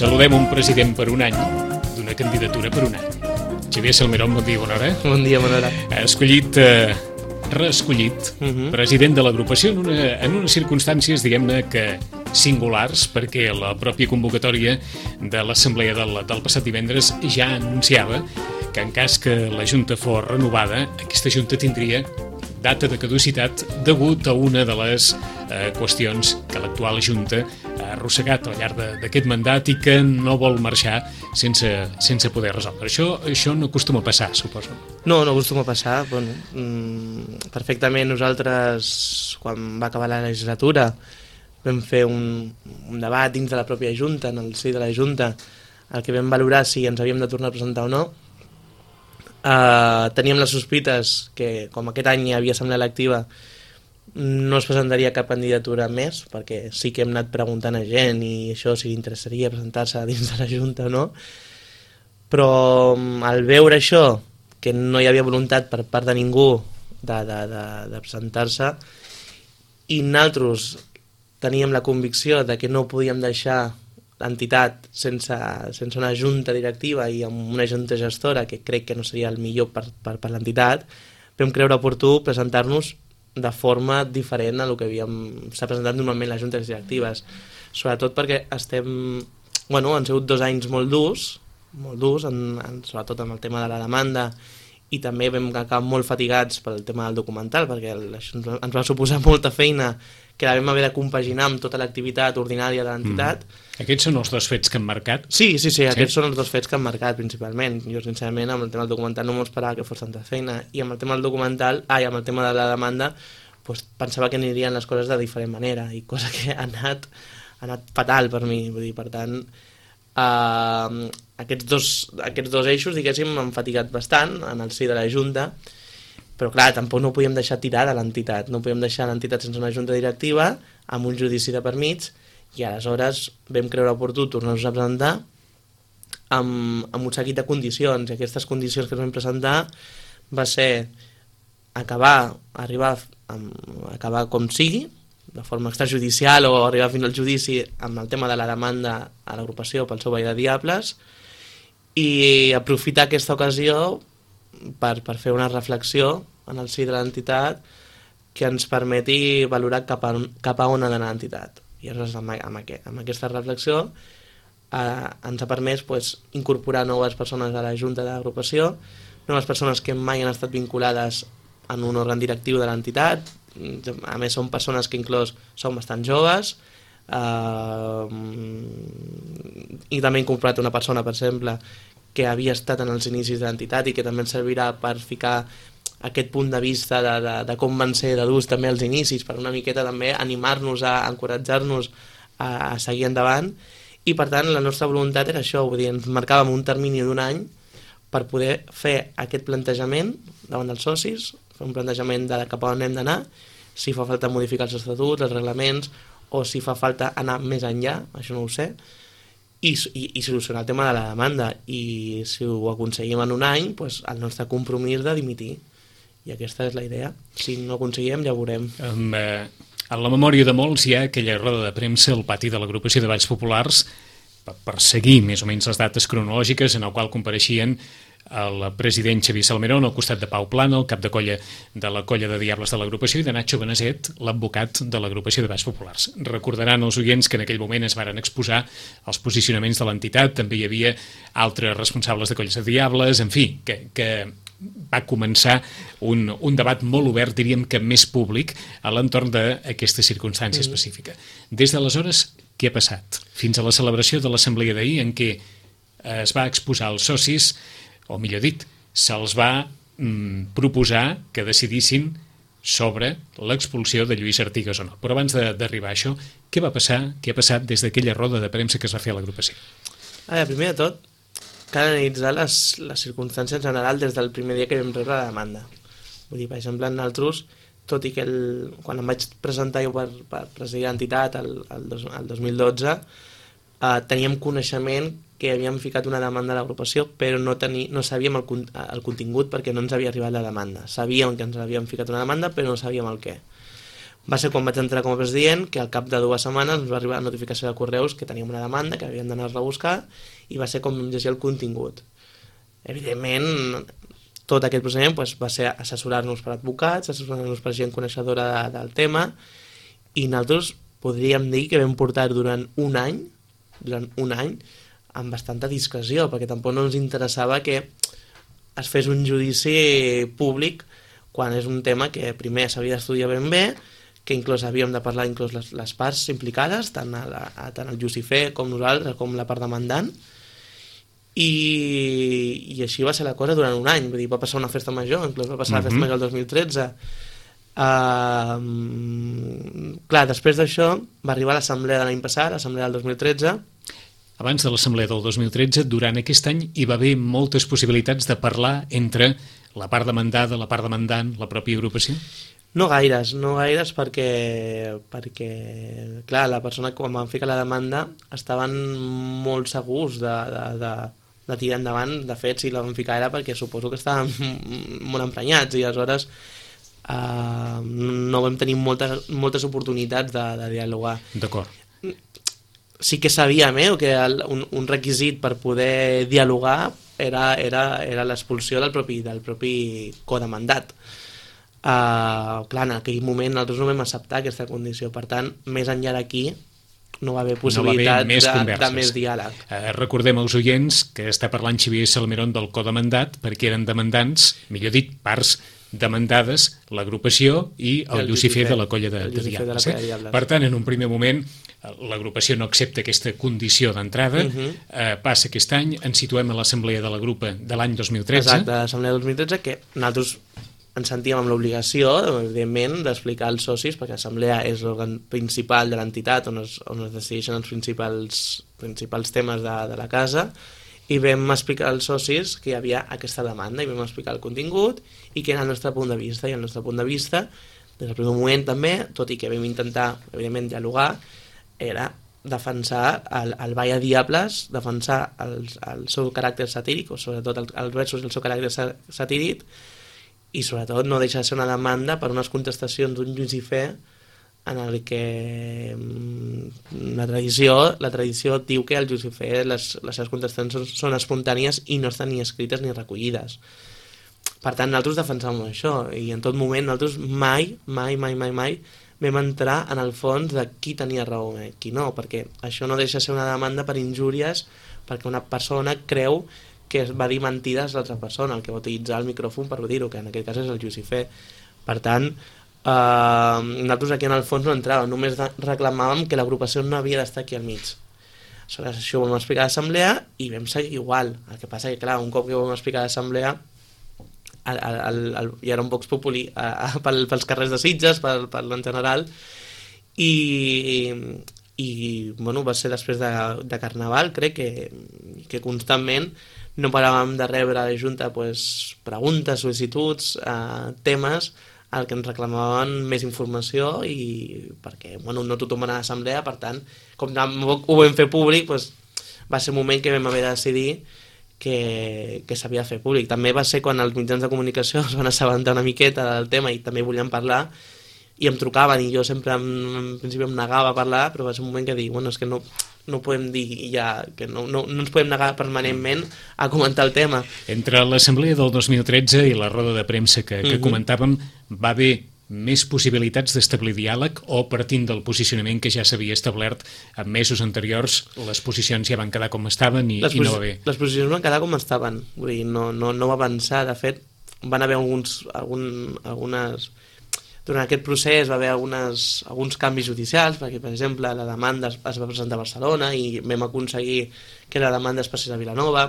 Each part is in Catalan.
Saludem un president per un any, d'una candidatura per un any. Xavier Salmerón, bon dia, bona hora. Bon dia, bona hora. Reescollit, president de l'agrupació en unes circumstàncies, diguem-ne, que singulars, perquè la pròpia convocatòria de l'assemblea del passat divendres ja anunciava que en cas que la Junta fos renovada, aquesta Junta tindria data de caducitat degut a una de les qüestions que l'actual Junta ha arrossegat al llarg d'aquest mandat i que no vol marxar sense poder resoldre. Això no acostuma a passar, suposo. No acostuma a passar. Bueno, perfectament nosaltres, quan va acabar la legislatura, vam fer un debat dins de la pròpia Junta, en el si de la Junta, el que vam valorar si ens havíem de tornar a presentar o no. Teníem les sospites que, com aquest any hi havia assemblea electiva, no es presentaria cap candidatura més, perquè sí que hem anat preguntant a gent i això, si li interessaria presentar-se dins de la Junta o no, però al veure això, que no hi havia voluntat per part de ningú de presentar-se, i nosaltres teníem la convicció de que no podíem deixar l'entitat sense una junta directiva i amb una junta gestora, que crec que no seria el millor per l'entitat, vam creure oportú presentar-nos de forma diferent a el que s'ha presentat normalment les juntes directives, sobretot perquè han sigut 2 anys molt durs, sobretot amb el tema de la demanda, i també vam acabar molt fatigats pel tema del documental, perquè això ens va suposar molta feina que la vam haver de compaginar amb tota l'activitat ordinària de l'entitat. Aquests són els 2 fets que han marcat? Sí, aquests són els 2 fets que han marcat principalment. Jo, sincerament, amb el tema del documental no m'ho esperava que fos tanta feina, i amb el tema del documental, amb el tema de la demanda, doncs pensava que anirien les coses de diferent manera, i cosa que ha anat fatal per mi. Vull dir, per tant, aquests dos eixos, diguéssim, m'han fatigat bastant en el si de la Junta, però clar, tampoc no podíem deixar tirada l'entitat, no podíem deixar l'entitat sense una junta directiva, amb un judici de per mig, i aleshores vam creure oportú tornar-nos a presentar amb un seguit de condicions, i aquestes condicions que ens vam presentar va ser acabar com sigui, de forma extrajudicial o arribar fins al judici amb el tema de la demanda a l'agrupació pel seu veí de diables, i aprofitar aquesta ocasió per fer una reflexió en el si de l'entitat que ens permeti valorar cap a on ha d'anar l'entitat. I aleshores amb aquesta reflexió ens ha permès incorporar noves persones a la Junta de l'agrupació, noves persones que mai han estat vinculades en un òrgan directiu de l'entitat. A més, són persones que inclús són bastant joves, i també he incorporat una persona, per exemple, que havia estat en els inicis de l'entitat i que també ens servirà per ficar aquest punt de vista de com van ser de durs també els inicis, per una miqueta també animar-nos, encoratjar-nos a seguir endavant. I per tant la nostra voluntat era això, vull dir, ens marcàvem un termini d'1 any per poder fer aquest plantejament davant dels socis, fer un plantejament de cap a on hem d'anar, si fa falta modificar els estatuts, els reglaments, o si fa falta anar més enllà, això no ho sé, i solucionar el tema de la demanda. I si ho aconseguim en 1 any, doncs el nostre compromís de dimitir. I aquesta és la idea. Si no ho aconseguim, ja ho veurem. En la memòria de molts hi ha aquella roda de premsa al pati de l'agrupació de Balls Populars per seguir més o menys les dates cronològiques, en el qual compareixien el president Xavier Salmerón al costat de Pau Plana, el cap de colla de la colla de Diables de l'agrupació, i de Nacho Beneset, l'advocat de l'agrupació de Balls Populars. Recordaran els oients que en aquell moment es varen exposar els posicionaments de l'entitat, també hi havia altres responsables de colles de Diables, en fi, que va començar un debat molt obert, diríem que més públic, a l'entorn d'aquesta circumstància específica. Des d'aleshores, què ha passat? Fins a la celebració de l'assemblea d'ahir, en què es va exposar als socis, o millor dit, se'ls va proposar que decidissin sobre l'expulsió de Lluís Artigas o no. Però abans d'arribar a això, què va passar? Què ha passat des d'aquella roda de premsa que es va fer a l'agrupació? Primer de tot, cal analitzar les circumstàncies en general des del primer dia que vam rebre la demanda. Vull dir, per exemple, nosaltres, tot i que quan em vaig presentar jo per presidir l'entitat el 2012, teníem coneixement que havíem ficat una demanda a l'agrupació, però no sabíem el contingut perquè no ens havia arribat la demanda. Sabíem que ens havíem ficat una demanda, però no sabíem el què. Va ser quan vaig entrar com a president que al cap de 2 setmanes ens va arribar la notificació de correus que teníem una demanda, que havíem d'anar-la a buscar, i va ser com llegir el contingut. Evidentment, tot aquest procediment va ser assessorar-nos per advocats, assessorar-nos per gent coneixedora del tema, i nosaltres podríem dir que vam portar durant un any, amb bastanta discreció, perquè tampoc no ens interessava que es fes un judici públic quan és un tema que primer s'havia d'estudiar ben bé, que inclús havíem de parlar inclús les parts implicades, tant el Jussifer com nosaltres, com la part demandant, i així va ser la cosa durant un any. Vull dir, va passar una festa major, inclús va passar la festa major el 2013. Clar, després d'això va arribar l'assemblea de l'any passat, l'assemblea del 2013. Abans de l'assemblea del 2013, durant aquest any hi va haver moltes possibilitats de parlar entre la part demandada, la part demandant, la pròpia agrupació? No gaires perquè clar, la persona que quan van ficar la demanda estaven molt segurs de tirar endavant. De fet, si la van ficar era perquè suposo que estaven molt emprenyats, i aleshores no vam tenir moltes oportunitats de dialogar. D'acord. Sí que sabíem que un requisit per poder dialogar era l'expulsió del propi codemandat. Clar, en aquell moment nosaltres no vam acceptar aquesta condició, per tant, més enllà d'aquí no va haver possibilitat de més diàleg. Recordem als oients que està parlant Xavier Salmerón del codemandat, perquè eren demandants, millor dit, parts demandades, l'agrupació i el Jussifer de la colla de Diables. Per tant, en un primer moment, l'agrupació no accepta aquesta condició d'entrada, passa aquest any, ens situem a l'assemblea de la grupa de l'any 2013. Exacte, l'assemblea del 2013, que nosaltres ens sentíem amb l'obligació, evidentment, d'explicar als socis, perquè l'assemblea és l'òrgan principal de l'entitat on es decideixen els principals temes de la casa, i vam explicar als socis que hi havia aquesta demanda, i vam explicar el contingut i que era el nostre punt de vista. I el nostre punt de vista, des del primer moment també, tot i que vam intentar, evidentment, dialogar, era defensar el Ball a Diables, defensar el seu caràcter satíric, o sobretot els versos del seu caràcter satíric, i sobretot no deixar de ser una demanda per unes contestacions d'un Jussifer en el que la tradició diu que el Jussifer les seves contestacions són espontànies i no estan ni escrites ni recollides. Per tant, nosaltres defensàvem això, i en tot moment nosaltres mai vam entrar en el fons de qui tenia raó i qui no, perquè això no deixa de ser una demanda per injúries, perquè una persona creu que va dir mentides a l'altra persona, el que va utilitzar el micròfon per dir-ho, que en aquest cas és el Jussifer. Per tant, nosaltres aquí en el fons no entràvem, només reclamàvem que l'agrupació no havia d'estar aquí al mig. Aleshores, això ho vam explicar a l'assemblea i vam seguir igual. El que passa que, clar, un cop que ho vam explicar a l'assemblea hi era un vox populi pels carrers de Sitges, en general, i bueno, va ser després de Carnaval, crec que constantment no paràvem de rebre a la Junta preguntes, sol·licituds, temes al que ens reclamaven més informació, i perquè no tothom anava a l'assemblea, per tant, com ho vam fer públic, va ser un moment que vam haver de decidir que s'havia de fer públic. També va ser quan els mitjans de comunicació es van assabentar una miqueta del tema i també volien parlar, i em trucaven, i jo sempre en principi em negava a parlar, però va ser un moment que dic, és que no podem dir ja, que no ens podem negar permanentment a comentar el tema. Entre l'assemblea del 2013 i la roda de premsa que comentàvem, va haver més possibilitats d'establir diàleg, o partint del posicionament que ja s'havia establert en mesos anteriors, les posicions ja van quedar com estaven i no va bé? Les posicions van quedar com estaven, vull dir, no va avançar. De fet, van haver algunes... Durant aquest procés va haver alguns canvis judicials, perquè, per exemple, la demanda es va presentar a Barcelona i vam aconseguir que la demanda es passés a Vilanova.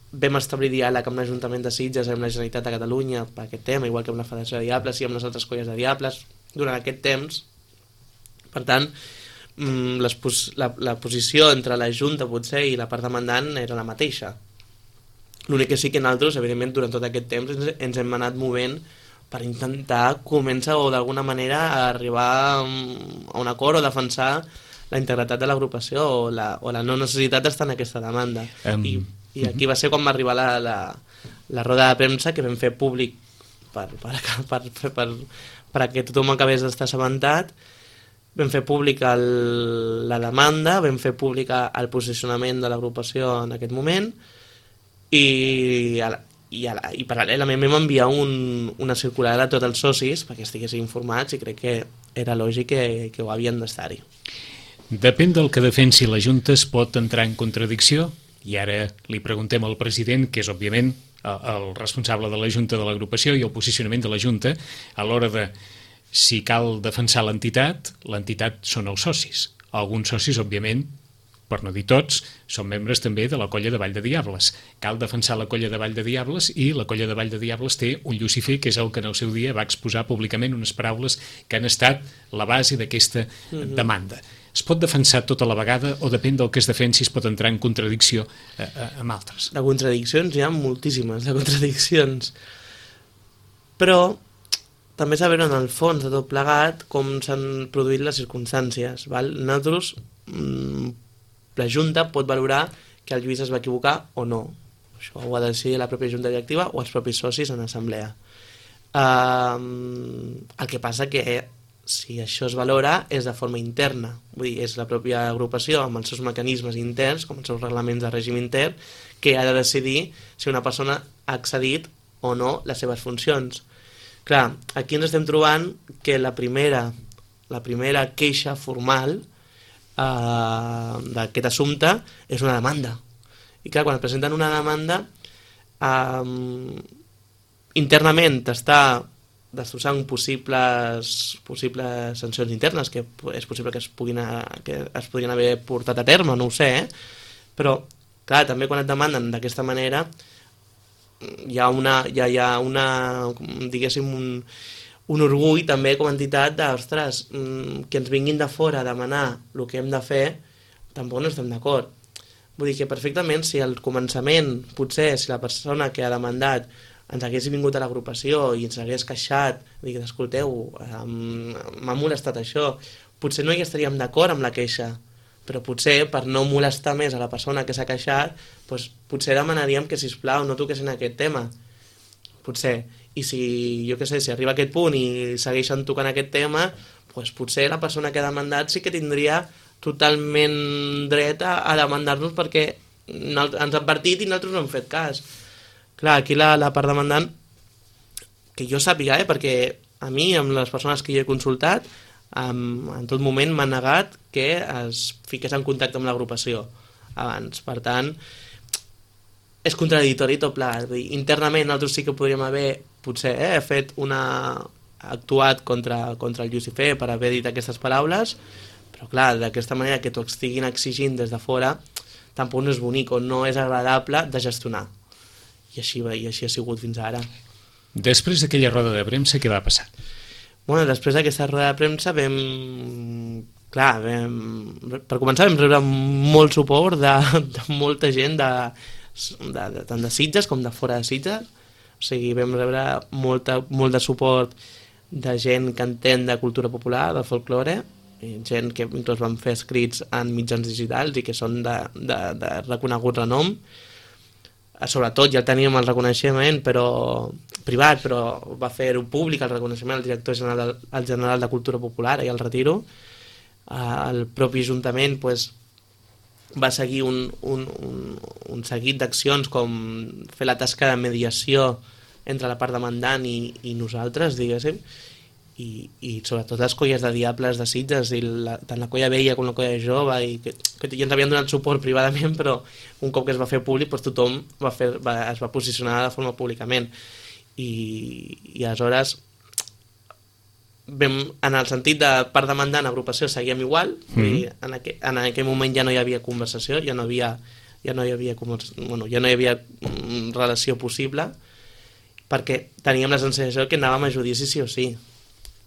Vam establir diàleg amb l'Ajuntament de Sitges i amb la Generalitat de Catalunya per aquest tema, igual que amb la Federació de Diables i amb les altres colles de Diables durant aquest temps. Per tant, la posició entre la Junta potser i la part demandant era la mateixa. L'únic que sí que nosaltres, evidentment, durant tot aquest temps ens hem anat movent per intentar començar o d'alguna manera a arribar a un acord o defensar la integritat de l'agrupació o la no necessitat d'estar en aquesta demanda. I aquí va ser quan va arribar la roda de premsa que vam fer públic perquè tothom acabés d'estar assabentat. Vam fer públic la demanda, vam fer públic el posicionament de l'agrupació en aquest moment i paral·lelament vam enviar una circular a tots els socis perquè estiguessin informats i crec que era lògic que ho havien d'estar-hi. Depèn del que defensi la Junta, es pot entrar en contradicció? I ara li preguntem al president, que és òbviament el responsable de la Junta de l'agrupació i el posicionament de la Junta a l'hora de si cal defensar l'entitat són els socis. Alguns socis, òbviament, per no dir tots, són membres també de la colla de Vall de Diables. Cal defensar la colla de Vall de Diables i la colla de Vall de Diables té un Llucifer que és el que en el seu dia va exposar públicament unes paraules que han estat la base d'aquesta demanda. Es pot defensar tota la vegada o depèn del que es defensi es pot entrar en contradicció amb altres? De contradiccions hi ha moltíssimes, de contradiccions. Però també saber en el fons de tot plegat com s'han produït les circumstàncies. Val? Nosaltres, la Junta pot valorar que el Lluís es va equivocar o no. Això ho ha de decidir la pròpia Junta Directiva o els propis socis en assemblea. El que passa que si això es valora és de forma interna, vull dir, és la pròpia agrupació amb els seus mecanismes interns, com els seus reglaments de règim intern, que ha de decidir si una persona ha accedit o no les seves funcions. Clar, aquí ens estem trobant que la primera queixa formal d'aquest assumpte és una demanda. I clar, quan et presenten una demanda, internament t'està destrossant possibles sancions internes que és possible que es podrien haver portat a terme, no ho sé, però clar, també quan et demanden d'aquesta manera hi ha diguéssim un orgull també com a entitat de, ostres, que ens vinguin de fora a demanar el que hem de fer, tampoc no estem d'acord. Vull dir que perfectament si al començament, potser si la persona que ha demandat ens hagués vingut a l'agrupació i ens hagués queixat, dir, escolteu, m'ha molestat això, potser no hi estaríem d'acord amb la queixa, però potser per no molestar més a la persona que s'ha queixat, doncs potser demanaríem que, sisplau, no toquessin aquest tema. Potser. I si, jo què sé, si arriba a aquest punt i segueixen tocant aquest tema, doncs potser la persona que ha demandat sí que tindria totalment dret a demandar-nos perquè ens han advertit i nosaltres no hem fet cas. Clar, aquí la part demandant, que jo sàpiga, perquè a mi, amb les persones que jo he consultat, en tot moment m'han negat que es fiqués en contacte amb l'agrupació abans. Per tant, és contradictori tot plegat. Internament nosaltres sí que podríem haver potser fet actuat contra el Llucifer per haver dit aquestes paraules, però clar, d'aquesta manera que t'ho estiguin exigint des de fora tampoc no és bonic o no és agradable de gestionar. I així ha sigut fins ara. Després d'aquella roda de premsa, què va passar? Bueno, després d'aquesta roda de premsa per començar vam rebre molt suport de molta gent tant de Sitges com de fora de Sitges. O sigui, vam rebre molt de suport de gent que entén de cultura popular, de folklore, gent que inclús van fer escrits en mitjans digitals i que són de reconegut renom. Sobretot ja teníem el reconeixement privat, però va fer-ho públic el reconeixement al director general de Cultura Popular i al Retiro. El propi Ajuntament va seguir un seguit d'accions com fer la tasca de mediació entre la part demandant i nosaltres, diguéssim, i sobretot les colles de diables de Sitges, tant la colla vella com la colla jove, que ja ens havien donat suport privadament, però un cop que es va fer públic tothom es va posicionar de forma públicament. I aleshores en el sentit de part demandant agrupació seguíem igual, i en aquell moment ja no hi havia conversació, ja no hi havia relació possible, perquè teníem la sensació que anàvem a judici sí o sí,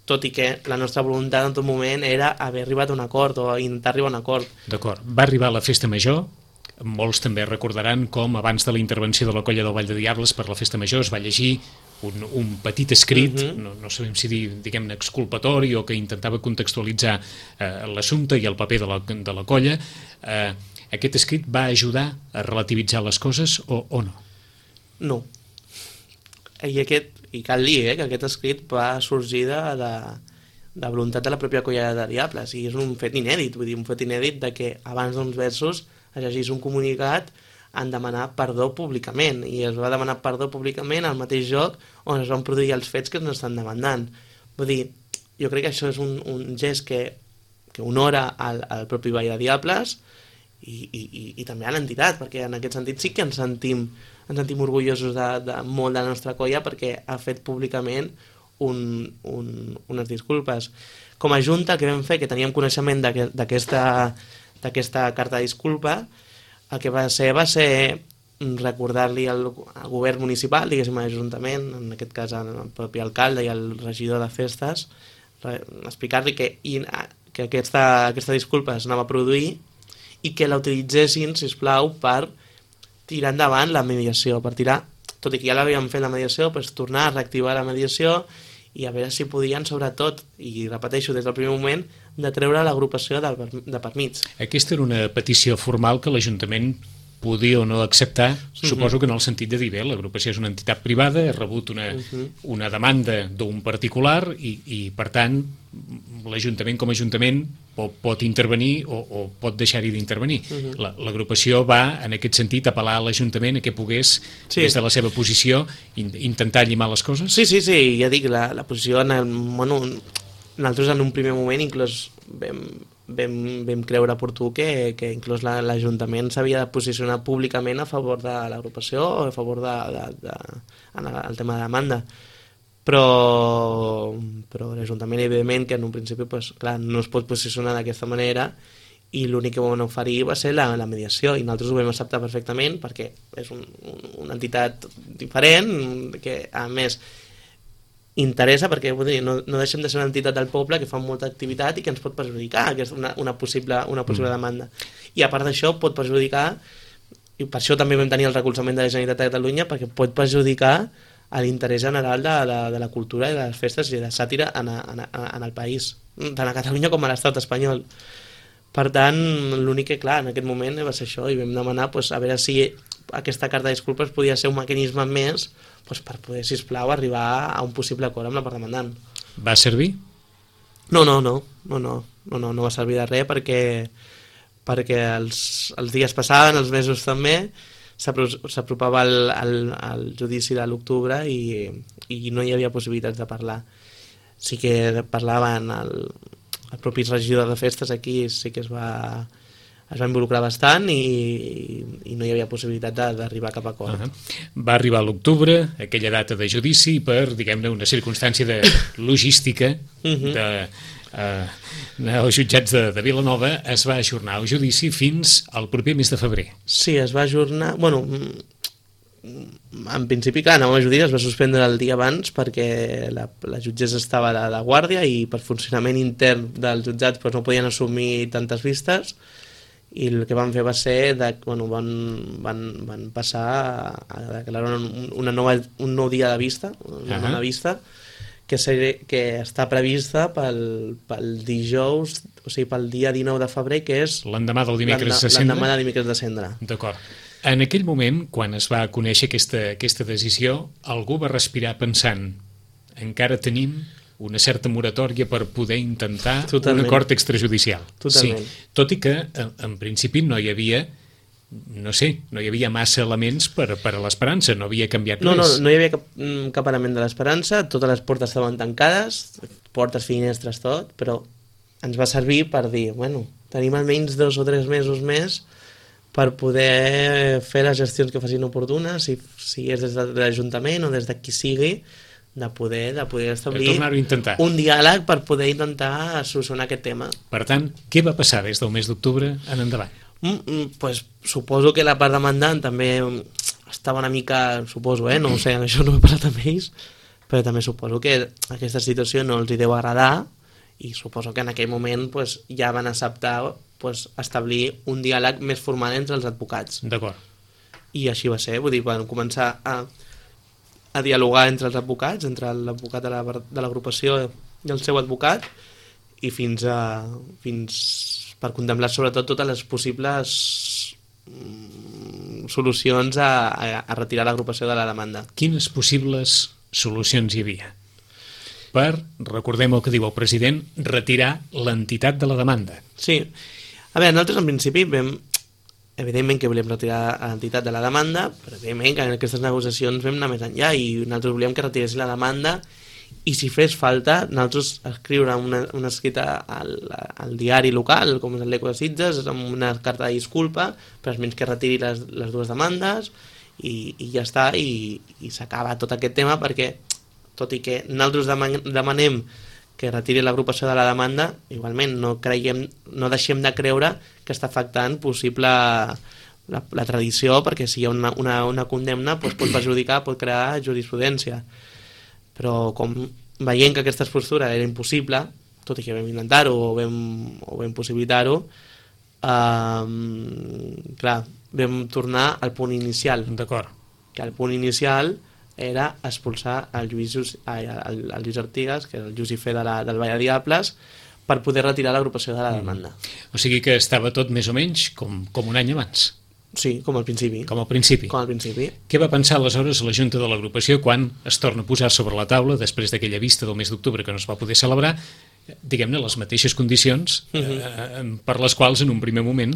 tot i que la nostra voluntat en tot moment era haver arribat a un acord o intentar arribar a un acord. D'acord. Va arribar la festa major, molts també recordaran com abans de la intervenció de la colla del Vall de Diables per la festa major es va llegir un petit escrit, no sabem si dir, diguem-ne, exculpatori o que intentava contextualitzar l'assumpte i el paper de la colla. Aquest escrit va ajudar a relativitzar les coses o no? No. I cal dir que aquest escrit va sorgir de voluntat de la pròpia colla de Diables, i és un fet inèdit, vull dir, un fet inèdit de que abans d'uns versos es llegís un comunicat en demanar perdó públicament, i es va demanar perdó públicament al mateix joc on es van produir els fets que ens estan demandant. Vull dir, jo crec que això és un gest que honora al propi Ball de Diables i també a l'entitat, perquè en aquest sentit sí que ens sentim orgullosos de molt de la nostra colla, perquè ha fet públicament unes disculpes. Com a junta, que vam fer, que teníem coneixement d'aquesta carta de disculpa, el que va ser recordar-li al govern municipal, diguéssim, a l'Ajuntament, en aquest cas al propi alcalde i al regidor de festes, explicar-li que aquesta disculpa s'anava a produir i que la utilitzessin, sisplau, per tirar endavant la mediació, tot i que ja l'havíem fet la mediació, tornar a reactivar la mediació i a veure si podien, sobretot, i repeteixo des del primer moment, de treure l'agrupació de per mig. Aquesta era una petició formal que l'Ajuntament podia o no acceptar, suposo que en el sentit de dir, bé, l'agrupació és una entitat privada, ha rebut una demanda d'un particular i per tant, l'Ajuntament com a Ajuntament pot intervenir o pot deixar-hi d'intervenir. L'agrupació va, en aquest sentit, apel·lar a l'Ajuntament a que pogués, des de la seva posició, intentar llimar les coses? Sí, ja dic, la posició, nosaltres en un primer moment inclús vam creure oportú que inclús l'Ajuntament s'havia de posicionar públicament a favor de l'agrupació o a favor del tema de demanda, però l'Ajuntament, evidentment, que en un principi no es pot posicionar d'aquesta manera, i l'únic que vam oferir va ser la mediació, i nosaltres ho vam acceptar perfectament perquè és una entitat diferent, que a més interessa, perquè no deixem de ser una entitat del poble que fa molta activitat i que ens pot perjudicar una possible demanda, i a part d'això pot perjudicar, i per això també vam tenir el recolzament de la Generalitat de Catalunya, perquè pot perjudicar a l'interès general de la cultura i de les festes i de la sàtira en el país, tant a Catalunya com a l'estat espanyol. Per tant, l'únic que, clar, en aquest moment va ser això, i vam demanar a veure si aquesta carta de disculpes podia ser un mecanisme més per poder, sisplau, arribar a un possible acord amb la part demandant. Va servir? No va servir de res, perquè els dies passaven, els mesos també, s'apropava el judici de l'octubre i no hi havia possibilitats de parlar. Sí que parlaven el propi regidor de festes aquí, sí que es va involucrar bastant i no hi havia possibilitat d'arribar a cap acord. Va arribar a l'octubre, aquella data de judici, per, diguem-ne, una circumstància de logística als jutjats de Vilanova. Es va ajornar el judici fins al proper mes de febrer. Sí, es va ajornar... en principi, clar, anàvem a judici, es va suspendre el dia abans perquè la jutgessa estava de guàrdia i per funcionament intern dels jutjats no podien assumir tantes vistes, i el que van fer va ser van passar a declarar un nou dia de vista, una nova vista, que està prevista pel dijous, o sigui, pel dia 19 de febrer, que és l'endemà del dimecres de Cendra. L'endemà del dimecres de Cendra. D'acord. En aquell moment, quan es va conèixer aquesta decisió, algú va respirar pensant, encara tenim una certa moratòria per poder intentar un acord extrajudicial. Totalment. Sí. Tot i que, en principi, no hi havia massa elements per a l'esperança, no havia canviat res. No hi havia cap element de l'esperança, totes les portes estaven tancades, portes, finestres, tot, però ens va servir per dir, tenim almenys 2 o 3 mesos més per poder fer les gestions que facin oportunes, si és des de l'Ajuntament o des de qui sigui, de poder establir un diàleg per poder intentar solucionar aquest tema. Per tant, què va passar des del mes d'octubre en endavant? Suposo que la part demandant també estava una mica, no ho sé, això no he parlat amb ells, però també suposo que aquesta situació no els hi deu agradar, i suposo que en aquell moment ja van acceptar establir un diàleg més formal entre els advocats. D'acord. I així va ser, vull dir, van començar a a dialogar entre els advocats, entre l'advocat de l'agrupació i el seu advocat, i fins per contemplar sobretot totes les possibles solucions a retirar l'agrupació de la demanda. Quines possibles solucions hi havia per, recordem el que diu el president, retirar l'entitat de la demanda? Sí. A veure, nosaltres en principi evidentment que volem retirar l'entitat de la demanda, però evidentment que en aquestes negociacions vam anar més enllà i nosaltres volíem que retiressin la demanda i si fes falta nosaltres escriure una escrita al diari local, com és l'Eco de Sitges, amb una carta de disculpa, per almenys que retiri les dues demandes i ja està, i s'acaba tot aquest tema, perquè tot i que nosaltres demanem que retiri l'agrupació de la demanda, igualment no deixem de creure que està afectant possible la tradició, perquè si hi ha una condemna pot perjudicar, pot crear jurisprudència. Però com veient que aquesta postura era impossible, tot i que vam intentar-ho o vam possibilitar-ho, clar, vam tornar al punt inicial. D'acord. Que el punt inicial era expulsar el Lluís Artigas, que era el Llucifer del Vall de Diables, per poder retirar l'agrupació de la demanda. O sigui que estava tot més o menys com un any abans. Sí, com al principi. Com al principi. Com al principi. Què va pensar aleshores la Junta de l'agrupació quan es torna a posar sobre la taula, després d'aquella vista del mes d'octubre que no es va poder celebrar, diguem-ne, les mateixes condicions per les quals en un primer moment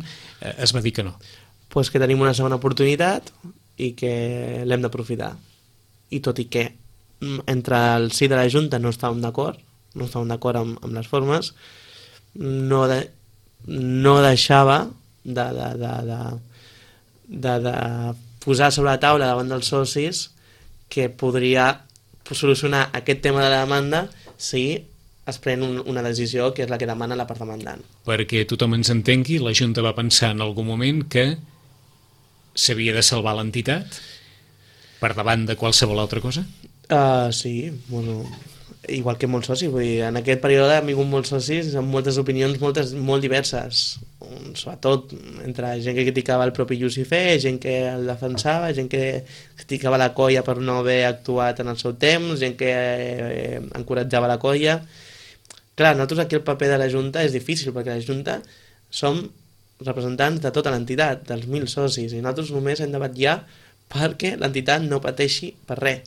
es va dir que no? Pues que tenim una segona oportunitat i que l'hem d'aprofitar. I tot i que entre el sí de la Junta no estàvem d'acord amb les formes, no deixava de posar sobre la taula davant dels socis que podria solucionar aquest tema de la demanda si es pren una decisió que és la que demana la part demandant. Perquè tothom ens entengui, la Junta va pensar en algun moment que s'havia de salvar l'entitat per davant de qualsevol altra cosa? Sí, bueno, igual que molts socis, vull dir, en aquest període hem vingut molts socis amb moltes opinions molt diverses, sobretot entre gent que criticava el propi Llucifer, gent que el defensava, gent que criticava la colla per no haver actuat en el seu temps, gent que encoratjava la colla. Clar, nosaltres aquí el paper de la Junta és difícil, perquè la Junta som representants de tota l'entitat, dels 1.000 socis, i nosaltres només hem de vetllar perquè l'entitat no pateixi per res.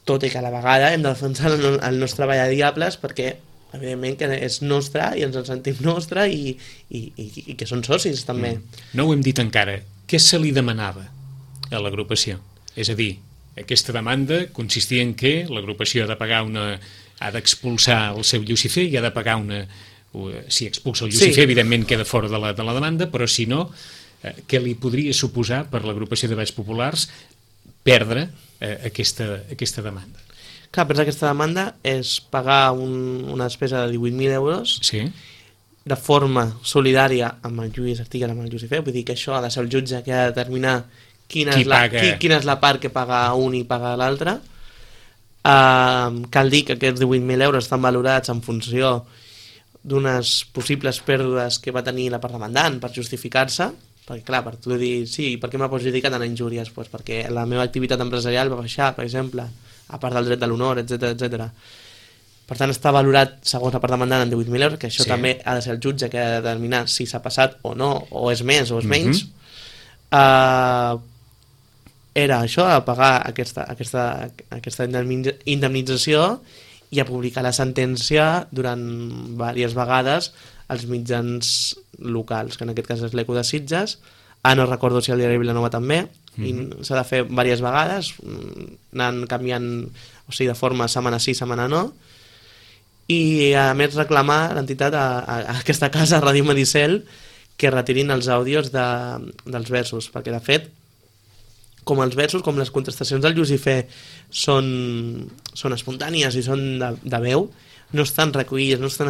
Tot i que a la vegada hem de defensar el nostre Vall de Diables perquè, evidentment, que és nostre i ens en sentim nostre i que són socis, també. No ho hem dit encara. Què se li demanava a l'agrupació? És a dir, aquesta demanda consistia en que l'agrupació ha d'expulsar el seu Llucifer i ha de pagar si expulsa el Llucifer, evidentment queda fora de la demanda, però si no, què li podria suposar per l'agrupació de Valls Populars perdre aquesta demanda? Clar, perdre aquesta demanda és pagar una despesa de 18.000 euros de forma solidària amb el Lluís Artigas, amb el Llucifer, vull dir que això ha de ser el jutge que ha de determinar quina és la part que paga un i paga l'altre. Cal dir que aquests 18.000 euros estan valorats en funció d'unes possibles pèrdues que va tenir la part demandant per justificar-se, perquè clar, per tu dir, sí, per què m'ha perjudicat en injúries? Pues perquè la meva activitat empresarial va baixar, per exemple, a part del dret de l'honor, etc. Per tant, està valorat segons la part demandant en 18.000 euros, que això també ha de ser el jutge que ha de determinar si s'ha passat o no, o és més o és menys. Era això, a pagar aquesta indemnització i a publicar la sentència durant diverses vegades als mitjans locals, que en aquest cas és l'Eco de Sitges. No recordo si el diari Vilanova també, i s'ha de fer diverses vegades, anant canviant, o sigui, de forma setmana sí, setmana no, i a més reclamar l'entitat a aquesta casa, Ràdio Medicel, que retirin els àudios dels versos, perquè de fet, com els versos, com les contestacions del Llucifer són espontànies i són de veu, no estan recollides, no estan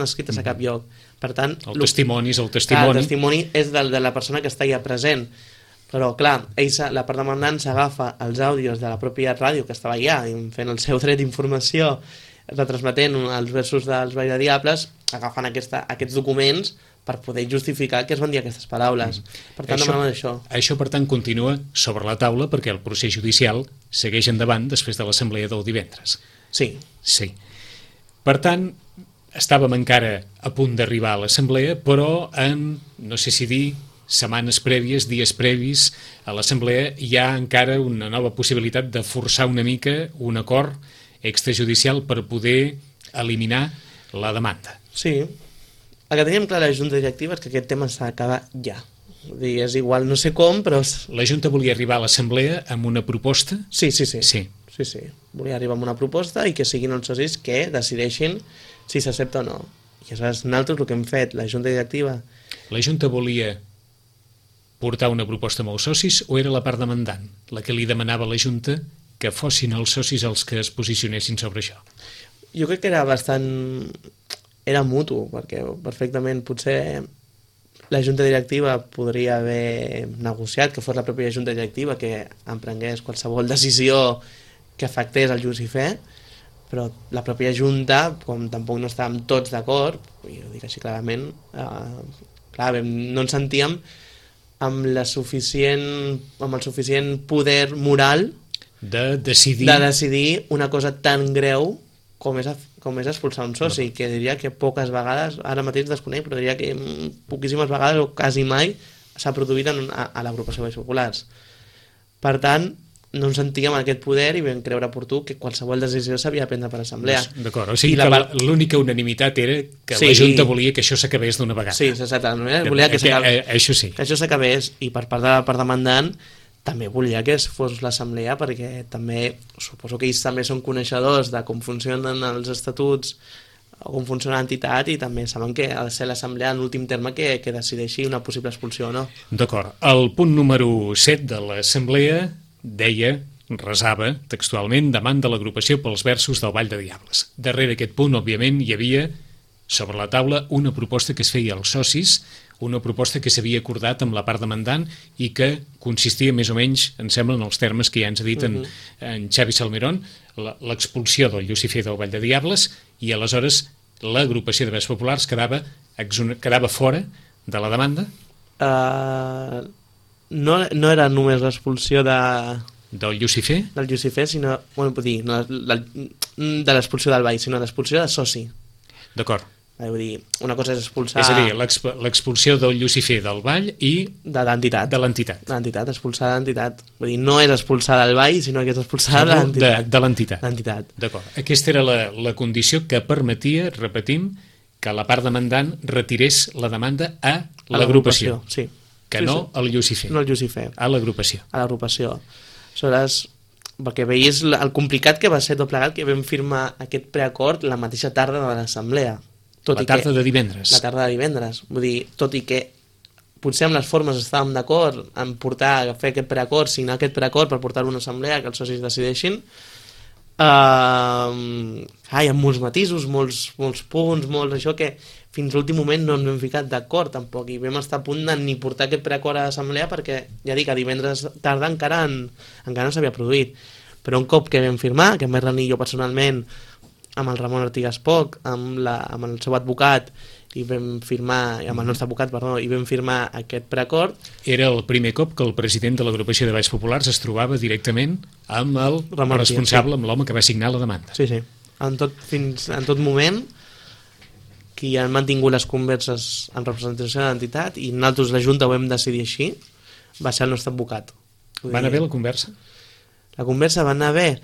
escrites a cap lloc. Per tant, el testimoni és el testimoni. El testimoni és de la persona que està allà present. Però, clar, la part demandant s'agafa els àudios de la pròpia ràdio que estava allà, fent el seu dret d'informació, retransmetent els versos dels Vall de Diables, agafen aquests documents per poder justificar que es van dir aquestes paraules. Per tant, demanem això. Això, per tant, continua sobre la taula perquè el procés judicial segueix endavant després de l'assemblea del divendres. Sí. Sí. Per tant, estàvem encara a punt d'arribar a l'assemblea, però en, no sé si dir, setmanes prèvies, dies previs a l'assemblea, hi ha encara una nova possibilitat de forçar una mica un acord extrajudicial per poder eliminar la demanda. Sí. El que teníem clar a la Junta Directiva és que aquest tema s'ha d'acabar ja. Vull dir, és igual, no sé com, però... La Junta volia arribar a l'assemblea amb una proposta? Sí. Volia arribar amb una proposta i que siguin els socis que decideixin si s'accepta o no. I aleshores nosaltres el que hem fet, la Junta Directiva... La Junta volia portar una proposta amb els socis o era la part demandant, la que li demanava a la Junta que fossin els socis els que es posicionessin sobre això? Jo crec que era bastant... Era mutu, perquè perfectament potser la Junta Directiva podria haver negociat que fos la pròpia Junta Directiva que emprengués qualsevol decisió que afectés el just i fer, però la pròpia Junta, com tampoc no estàvem tots d'acord, ho dic així clarament, no ens sentíem amb el suficient poder moral de decidir una cosa tan greu com és expulsar un soci, que diria que poques vegades, ara mateix desconec, però diria que poquíssimes vegades o quasi mai s'ha produït a l'agrupació de Valls Populars. Per tant, no ens sentíem en aquest poder i vam creure oportú que qualsevol decisió s'havia de prendre per assemblea. D'acord, o sigui que l'única unanimitat era que la Junta volia que això s'acabés d'una vegada. Sí, exactament. Volia que això s'acabés, i per part de la part demandant també volia que fos l'assemblea, perquè també suposo que ells també són coneixedors de com funcionen els estatuts o com funciona l'entitat, i també saben que ha de ser l'assemblea en últim terme que decideixi una possible expulsió o no. D'acord. El punt número 7 de l'assemblea deia, resava textualment, demanda l'agrupació pels versos del Vall de Diables. Darrere aquest punt, òbviament, hi havia sobre la taula una proposta que es feia als socis, una proposta que s'havia acordat amb la part demandant i que consistia més o menys, em sembla, en els termes que ja ens ha dit en Xavi Salmerón, l'expulsió del Llucifer del Vall de Diables, i aleshores l'agrupació de Valls Populars quedava fora de la demanda? No era només l'expulsió del Llucifer? Del Llucifer, sinó, vull dir, no, de l'expulsió del Vall, sinó l'expulsió de soci. D'acord. Vull dir, una cosa és expulsar... És a dir, l'expulsió del Llucifer del Vall i... De l'entitat. De l'entitat. De l'entitat, expulsar de l'entitat. Vull dir, no és expulsar del Vall, sinó que és expulsar de l'entitat. De l'entitat. L'entitat. D'acord. Aquesta era la condició que permetia, repetim, que la part demandant retirés la demanda a l'agrupació. Sí. Que no al Llucifer. No al Llucifer. A l'agrupació. A l'agrupació. Aleshores, perquè veies el complicat que va ser tot plegat, que vam firmar aquest preacord la mateixa tarda de l'assemblea. La tarda de divendres. La tarda de divendres. Vull dir, tot i que potser amb les formes estàvem d'acord en fer aquest preacord, signar aquest preacord per portar-ho a una assemblea, que els socis decideixin, hi ha molts matisos, molts punts, molts això, que fins a l'últim moment no ens hem ficat d'acord tampoc, i vam estar a punt de ni portar aquest preacord a l'assemblea perquè, ja dic, a divendres tarda encara no s'havia produït. Però un cop que vam firmar, que em vaig reunir jo personalment amb el Ramon Artigas Poch, amb el seu advocat, i vam firmar, amb el nostre advocat, perdó, i vam firmar aquest preacord. Era el primer cop que el president de l'agrupació de Valls Populars es trobava directament amb el Ramon responsable, Artigas, amb l'home que va signar la demanda. Sí. En tot moment, qui han mantingut les converses en representació de l'entitat, i nosaltres, la Junta, ho vam decidir així, va ser el nostre advocat. Va anar bé la conversa? La conversa va anar bé?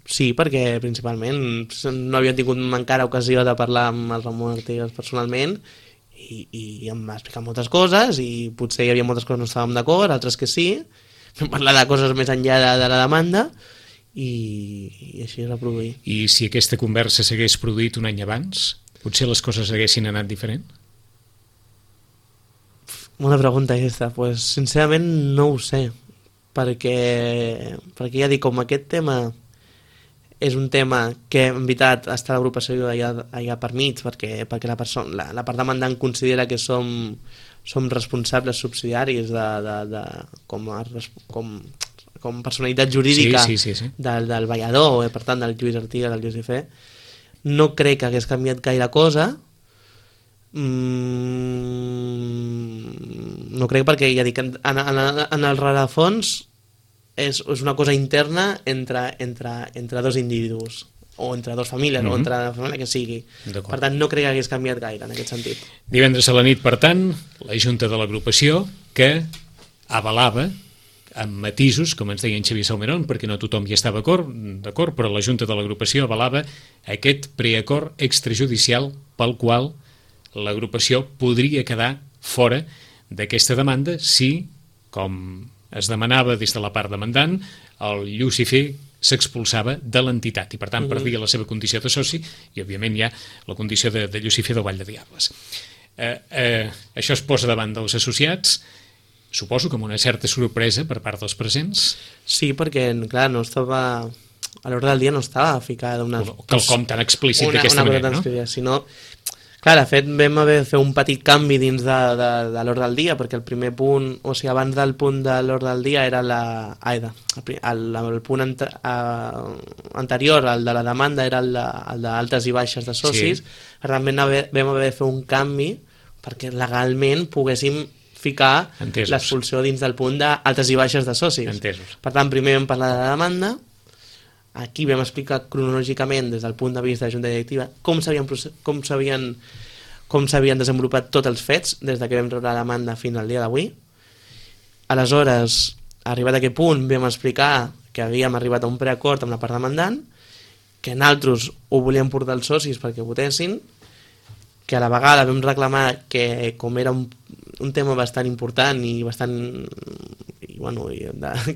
Sí, perquè principalment no havia tingut encara ocasió de parlar amb el Ramon Artigas personalment, i em va explicar moltes coses, i potser hi havia moltes coses que no estàvem d'acord, altres que sí. Vam parlar de coses més enllà de la demanda, i així es va produir. I si aquesta conversa s'hagués produït un any abans, potser les coses haguessin anat diferent? Bona pregunta aquesta. Pues, sincerament no ho sé, perquè ja dic, com aquest tema és un tema que en veritat està l'agrupació allà per mig, perquè la part demandant considera que som responsables subsidiaris com personalitat jurídica del ballador, per tant del Lluís Artigas, del Llucifer. No crec que hagués canviat gaire cosa. No crec, perquè ja dic, en el rerefons és una cosa interna entre dos individus, o entre dues famílies, o entre la família que sigui. Per tant, no crec que hagués canviat gaire en aquest sentit. Divendres a la nit, per tant, la Junta de l'Agrupació, que avalava amb matisos, com ens deia en Xavier Salmerón, perquè no tothom hi estava d'acord, però la Junta de l'Agrupació avalava aquest preacord extrajudicial pel qual l'agrupació podria quedar fora d'aquesta demanda si, com es demanava des de la part demandant, el Llucifer s'expulsava de l'entitat i per tant perdia la seva condició de soci i òbviament hi ha la condició de Llucifer del Vall de Diables. Això es posa davant dels associats, suposo que amb una certa sorpresa per part dels presents. Sí, perquè clar, no estava a l'ordre del dia, no estava ficada quelcom tan explícit d'aquesta manera, no? Sinó, clar, de fet vam haver de fer un petit canvi dins de l'ordre del dia, perquè el primer punt, o sigui, abans del punt de l'ordre del dia era el punt anterior, el de la demanda, era el d'altes i baixes de socis. Per tant, vam haver de fer un canvi perquè legalment poguéssim ficar l'expulsió dins del punt d'altes i baixes de socis. Entesos. Per tant, primer vam parlar de la demanda, aquí vam explicar cronològicament des del punt de vista de la Junta Directiva com s'havien desenvolupat tots els fets des que vam rebre la demanda fins al dia d'avui. Aleshores, arribat a aquest punt, vam explicar que havíem arribat a un preacord amb la part demandant, que nosaltres ho volíem portar als socis perquè votessin, que a la vegada vam reclamar que, com era un tema bastant important i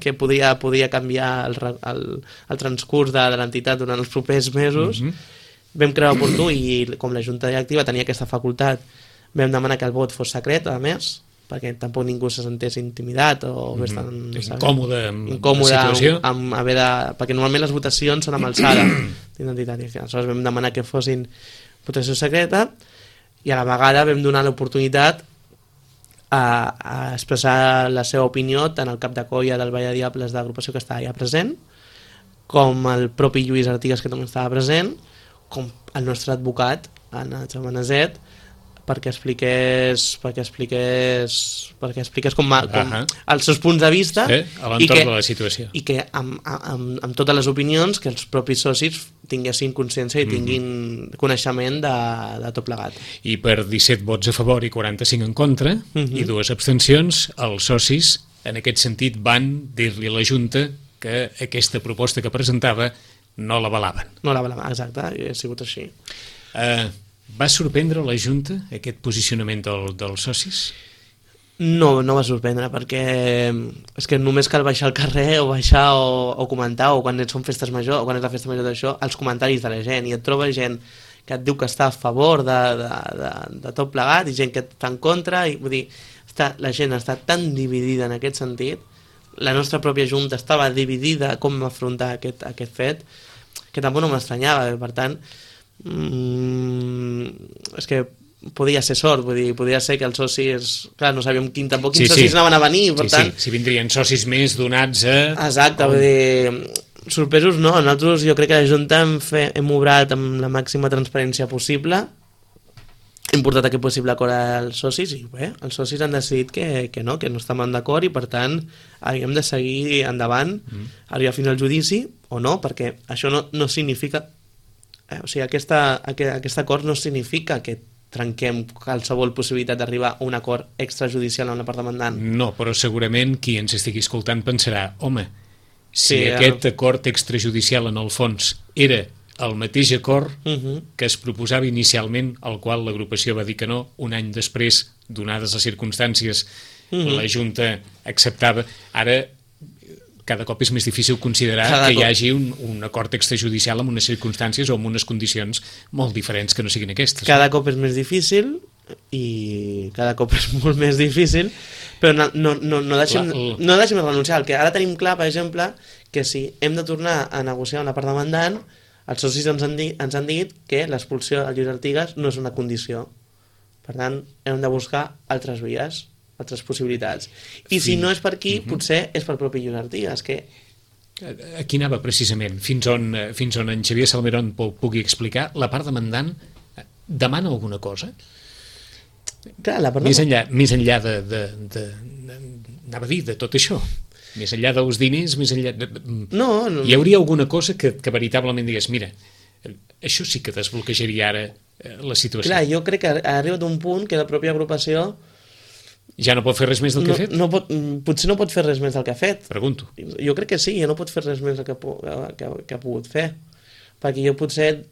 que podia canviar el transcurs de l'entitat durant els propers mesos, vam creure oportú, i com la Junta Directiva tenia aquesta facultat, vam demanar que el vot fos secret, a més, perquè tampoc ningú se sentés intimidat o incòmode amb la situació, perquè normalment les votacions són amb alçada d'identitat. Aleshores vam demanar que fossin votació secreta, i a la vegada vam donar l'oportunitat a expressar la seva opinió tant el cap de colla del Vall de Diables de l'agrupació, que estava ja present, com el propi Lluís Artigas, que també estava present, com el nostre advocat, Anna Xamanazet, perquè expliqués com els seus punts de vista a l'entorn de la situació, i que amb totes les opinions que els propis socis tinguessin consciència i tinguin coneixement de tot plegat. I per 17 vots a favor i 45 en contra i 2 abstencions, els socis en aquest sentit van dir-li a la Junta que aquesta proposta que presentava no l'avalaven. No l'avalaven, exacte, ha sigut així. Va sorprendre la Junta aquest posicionament dels socis? No va sorprendre, perquè és que només cal baixar al carrer o baixar o comentar, o quan són festes majors, o quan és la festa major d'això, els comentaris de la gent, i et troba gent que et diu que està a favor de tot plegat i gent que està en contra, i vull dir, la gent està tan dividida en aquest sentit, la nostra pròpia Junta estava dividida com afrontar aquest fet, que tampoc no m'estranyava. Per tant, és que podia ser sort, vull dir, podia ser que els socis, clar, no sabíem quins socis anaven a venir, per tant... Si vindrien socis més donats a... Exacte, vull dir, sorpresos no, nosaltres jo crec que la Junta hem obrat amb la màxima transparència possible, hem portat aquest possible acord als socis i bé, els socis han decidit que no estaven d'acord, i per tant havíem de seguir endavant, arribar fins al judici o no, perquè això no significa... O sigui, aquest acord no significa que trenquem qualsevol possibilitat d'arribar a un acord extrajudicial amb la part demandant. No, però segurament qui ens estigui escoltant pensarà, home, si aquest acord extrajudicial en el fons era el mateix acord que es proposava inicialment, al qual l'agrupació va dir que no, un any després, donades les circumstàncies, la Junta acceptava, ara cada cop és més difícil considerar que hi hagi un acord extrajudicial amb unes circumstàncies o amb unes condicions molt diferents que no siguin aquestes. Cada cop és més difícil i cada cop és molt més difícil, però no deixem de renunciar. El que ara tenim clar, per exemple, que si hem de tornar a negociar amb la part demandant, els socis ens han dit que l'expulsió de Lluís Artigas no és una condició. Per tant, hem de buscar altres vies, altres possibilitats. I si no és per aquí, potser és per propi Lluís Artigas, que... Aquí anava precisament, fins on en Xavier Salmerón pugui explicar, la part demandant demana alguna cosa? Clar, la part més enllà anava a dir, de tot això, més enllà dels diners, més enllà No. Hi hauria alguna cosa que veritablement digués, mira, això sí que desbloquejaria ara la situació. Clar, jo crec que ha arribat un punt que la pròpia agrupació ja no pot fer res més del que ha fet? Potser no pot fer res més del que ha fet. Pregunto. Jo crec que sí, ja no pot fer res més del que ha pogut fer. Perquè jo potser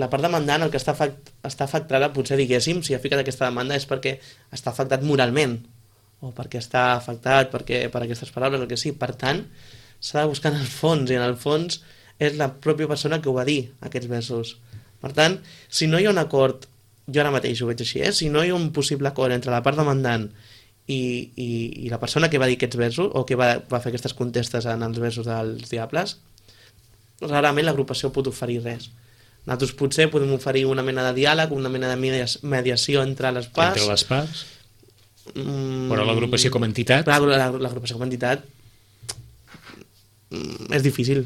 la part demandant, el que està afectada, potser diguéssim, si ha ficat aquesta demanda és perquè està afectat moralment, o perquè està afectat per aquestes paraules, el que sí. Per tant, s'ha de buscar en el fons, i en el fons és la pròpia persona que ho va dir, aquests versos. Per tant, si no hi ha un acord, jo ara mateix ho veig així, si no hi ha un possible acord entre la part demandant i la persona que va dir aquests versos, o que va fer aquestes contestes en els versos dels Diables, rarament l'agrupació pot oferir res. Nosaltres potser podem oferir una mena de diàleg, una mena de mediació entre les parts. Entre les parts? Però l'agrupació com a entitat? L'agrupació com a entitat és difícil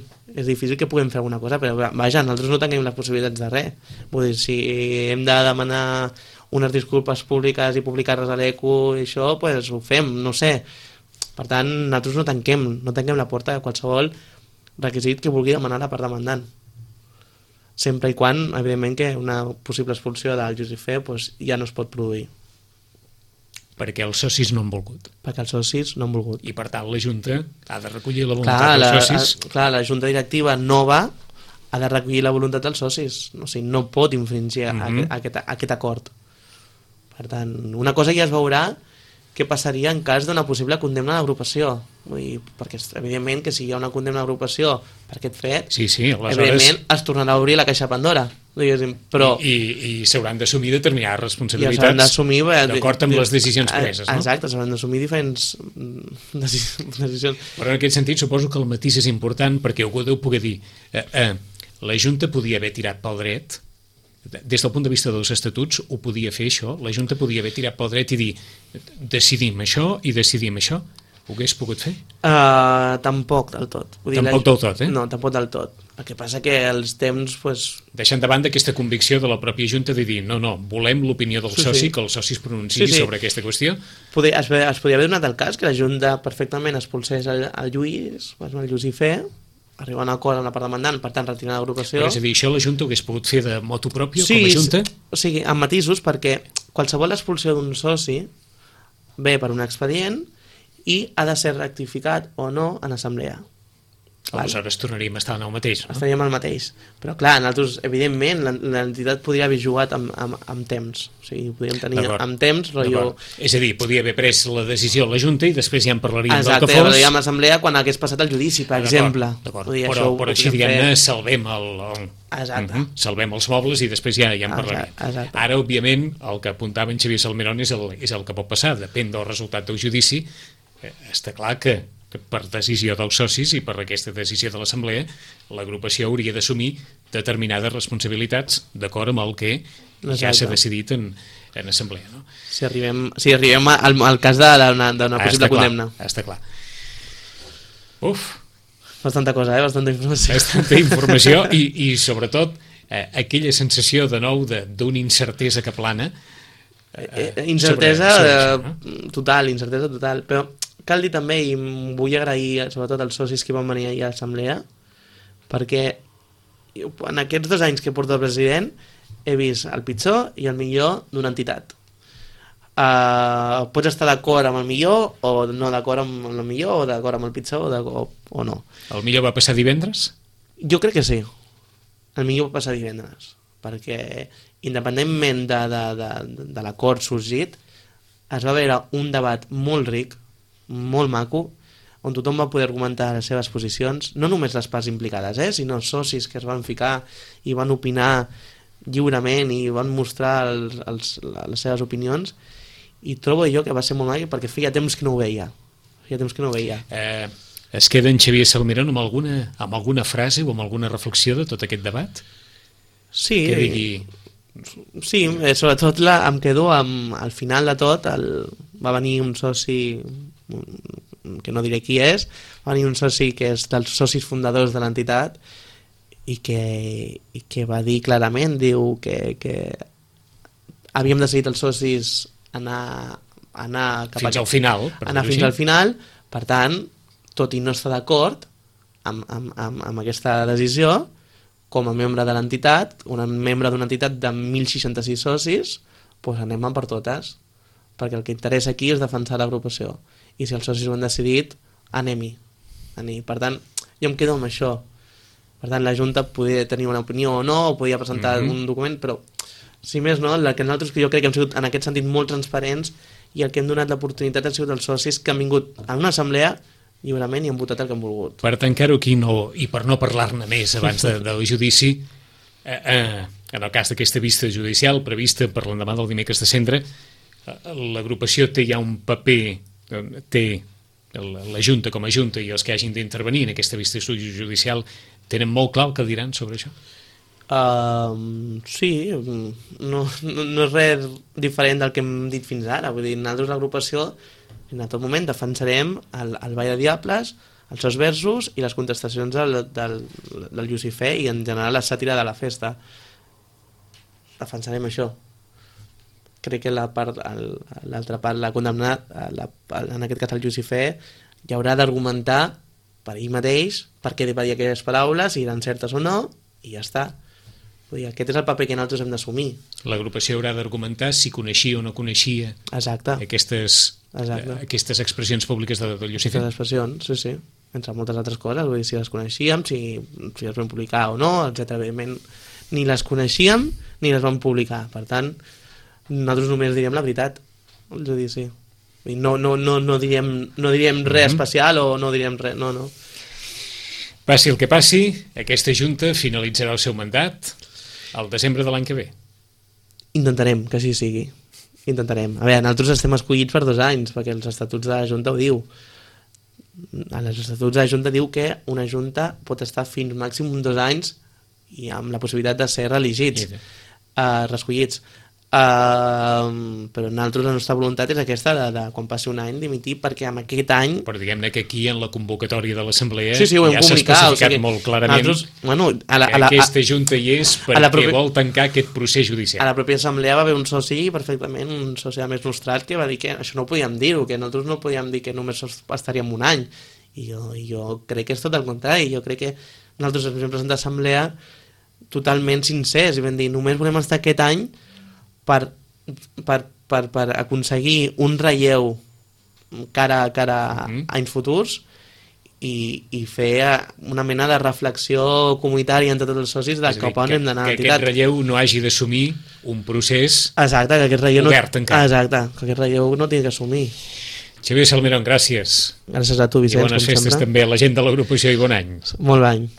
que puguem fer alguna cosa, però vaja, nosaltres no tenim les possibilitats de res. Vull dir, si hem de demanar unes disculpes públiques i publicar-les a l'ECO i això, doncs ho fem, no sé. Per tant, nosaltres no tanquem la porta a qualsevol requisit que vulgui demanar la part demandant. Sempre i quan, evidentment, que una possible expulsió del Jusifé ja no es pot produir. Perquè els socis no han volgut. Perquè els socis no han volgut. I per tant la Junta ha de recollir la voluntat dels socis. La Junta Directiva nova ha de recollir la voluntat dels socis. O sigui, no pot infringir aquest acord. Per tant, una cosa ja es veurà què passaria en cas d'una possible condemna a l'agrupació. Perquè evidentment que si hi ha una condemna a l'agrupació per aquest fet, aleshores... evidentment es tornarà a obrir la caixa Pandora. Però... I s'hauran d'assumir determinades responsabilitats d'acord amb les decisions preses, no? Exacte, s'hauran d'assumir diferents decisions. Però en aquest sentit suposo que el matís és important, perquè algú deu poder dir la Junta podia haver tirat pel dret, des del punt de vista dels estatuts ho podia fer això, la Junta podia haver tirat pel dret i dir decidim això i decidim això. Ho hagués pogut fer? Tampoc del tot. Tampoc del tot, No, tampoc del tot. El que passa que els temps... Deixant de banda aquesta convicció de la pròpia Junta de dir no, volem l'opinió del soci, que el soci es pronunciï sobre aquesta qüestió. Es podria haver donat el cas que la Junta perfectament expulsés el Lluís, el Jusifé, arribar a un acord amb la part demandant, per tant retirar l'agrupació. Però és a dir, això la Junta ho hagués pogut fer de motu propio com a Junta? O sigui, amb matisos, perquè qualsevol expulsió d'un soci ve per un expedient i ha de ser rectificat o no en assemblea. Aleshores tornaríem a estar en el mateix, no? Estaríem al mateix. Però clar, nosaltres, evidentment, l'entitat podria haver jugat amb temps. O sigui, podríem tenir amb temps... És a dir, podia haver pres la decisió a la Junta i després ja en parlaríem del que fos. Exacte, parlaríem a l'assemblea quan hagués passat el judici, per exemple. Però així, diguem-ne, salvem salvem els mobles i després ja en parlarem. Ara, òbviament, el que apuntava en Xavier Salmerón és el que pot passar. Depèn del resultat del judici. Està clar que per decisió dels socis i per aquesta decisió de l'assemblea l'agrupació hauria d'assumir determinades responsabilitats d'acord amb el que ja s'ha decidit en assemblea, no? Si arribem al cas d'una possible condemna. Està clar. Bastanta cosa, bastanta informació. Bastanta informació i sobretot aquella sensació de nou d'una incertesa que plana. Incertesa total, però cal dir també, i vull agrair sobretot als socis que van venir ahir a l'assemblea, perquè en aquests 2 anys que porto el president he vist el pitjor i el millor d'una entitat. Pots estar d'acord amb el millor o no d'acord amb el millor o d'acord amb el pitjor o no. El millor va passar divendres? Jo crec que sí. El millor va passar divendres, perquè independentment de l'acord sorgit es va veure un debat molt ric, molt maco, on tothom va poder argumentar les seves posicions, no només les parts implicades, sinó els socis que es van ficar i van opinar lliurement i van mostrar les seves opinions, i trobo jo que va ser molt maco perquè feia temps que no ho veia. Es queda en Xavier Salmerón amb alguna frase o amb alguna reflexió de tot aquest debat? Sí, que digui... Sí, sobretot em quedo al final de tot va venir un soci que no diré qui és, va venir un soci que és dels socis fundadors de l'entitat i que va dir clarament, diu que havíem decidit els socis anar fins al final, anar fins al final, per tant, tot i no estar d'acord amb aquesta decisió, com a membre de l'entitat, un membre d'una entitat de 1.066 socis, doncs anem per totes, perquè el que interessa aquí és defensar l'agrupació, i si els socis ho han decidit, anem-hi. Per tant, jo em quedo amb això. Per tant, la Junta podia tenir una opinió o no, o podia presentar un document, però, si més no, que nosaltres, que jo crec que hem sigut en aquest sentit molt transparents, i el que hem donat l'oportunitat han sigut els socis que han vingut a una assemblea lliurement i han votat el que han volgut. Per tancar-ho aquí, i per no parlar-ne més abans del judici, en el cas d'aquesta vista judicial prevista per l'endemà del dimecres de Cendra, l'agrupació té ja un paper, té la Junta com a Junta i els que hagin d'intervenir en aquesta vista judicial tenen molt clar el que diran sobre això? Sí, no és res diferent del que hem dit fins ara. Vull dir, nosaltres l'agrupació en tot moment defensarem el Ball de Diables, els seus versos i les contestacions del Llucifer i en general la sàtira de la festa. Defensarem això. Crec que l'altra part, la condemnada, en aquest cas el Llucifer, hi haurà d'argumentar per ell mateix per què va dir aquelles paraules, si eren certes o no, i ja està. Vull dir, aquest és el paper que nosaltres hem d'assumir. L'agrupació haurà d'argumentar si coneixia o no coneixia aquestes expressions públiques del Llucifer. Aquestes expressions, sí, entre moltes altres coses. Vull dir, si les coneixíem, si les vam publicar o no, etc. Evidentment, ni les coneixíem ni les vam publicar. Per tant, nosaltres només diríem la veritat al judici. No diríem res especial o no diríem res, no. Passi el que passi, aquesta Junta finalitzarà el seu mandat al desembre de l'any que ve. Intentarem que així sigui. Intentarem. A veure, nosaltres estem escollits per 2 anys, perquè els estatuts de la Junta ho diu. Els estatuts de la Junta diu que una Junta pot estar fins màxim 2 anys i amb la possibilitat de ser reelegits, reescollits. Però nosaltres la nostra voluntat és aquesta de quan passi un any dimitir, perquè amb aquest any... Però diguem-ne que aquí en la convocatòria de l'Assemblea ja s'ha especificat molt clarament que aquesta Junta hi és perquè vol tancar aquest procés judicial. A la pròpia Assemblea va haver un soci perfectament, un soci més nostrat, que va dir que això no ho podíem dir-ho, que nosaltres no podíem dir que només estaríem un any. I jo crec que és tot el contrari. Jo crec que nosaltres ens vam presentar a l'Assemblea totalment sincers i vam dir només volem estar aquest any per aconseguir un relleu cara a anys futurs i fer una mena de reflexió comunitària entre tots els socis de cap on hem d'anar a l'entitat. Que aquest relleu no hagi d'assumir un procés obert encara. Exacte, que aquest relleu no tingui que assumir. Xavier Salmerón, gràcies. Gràcies a tu, Vicenç. I bones festes també a la gent de l'agrupació i bon any. Molt bon any.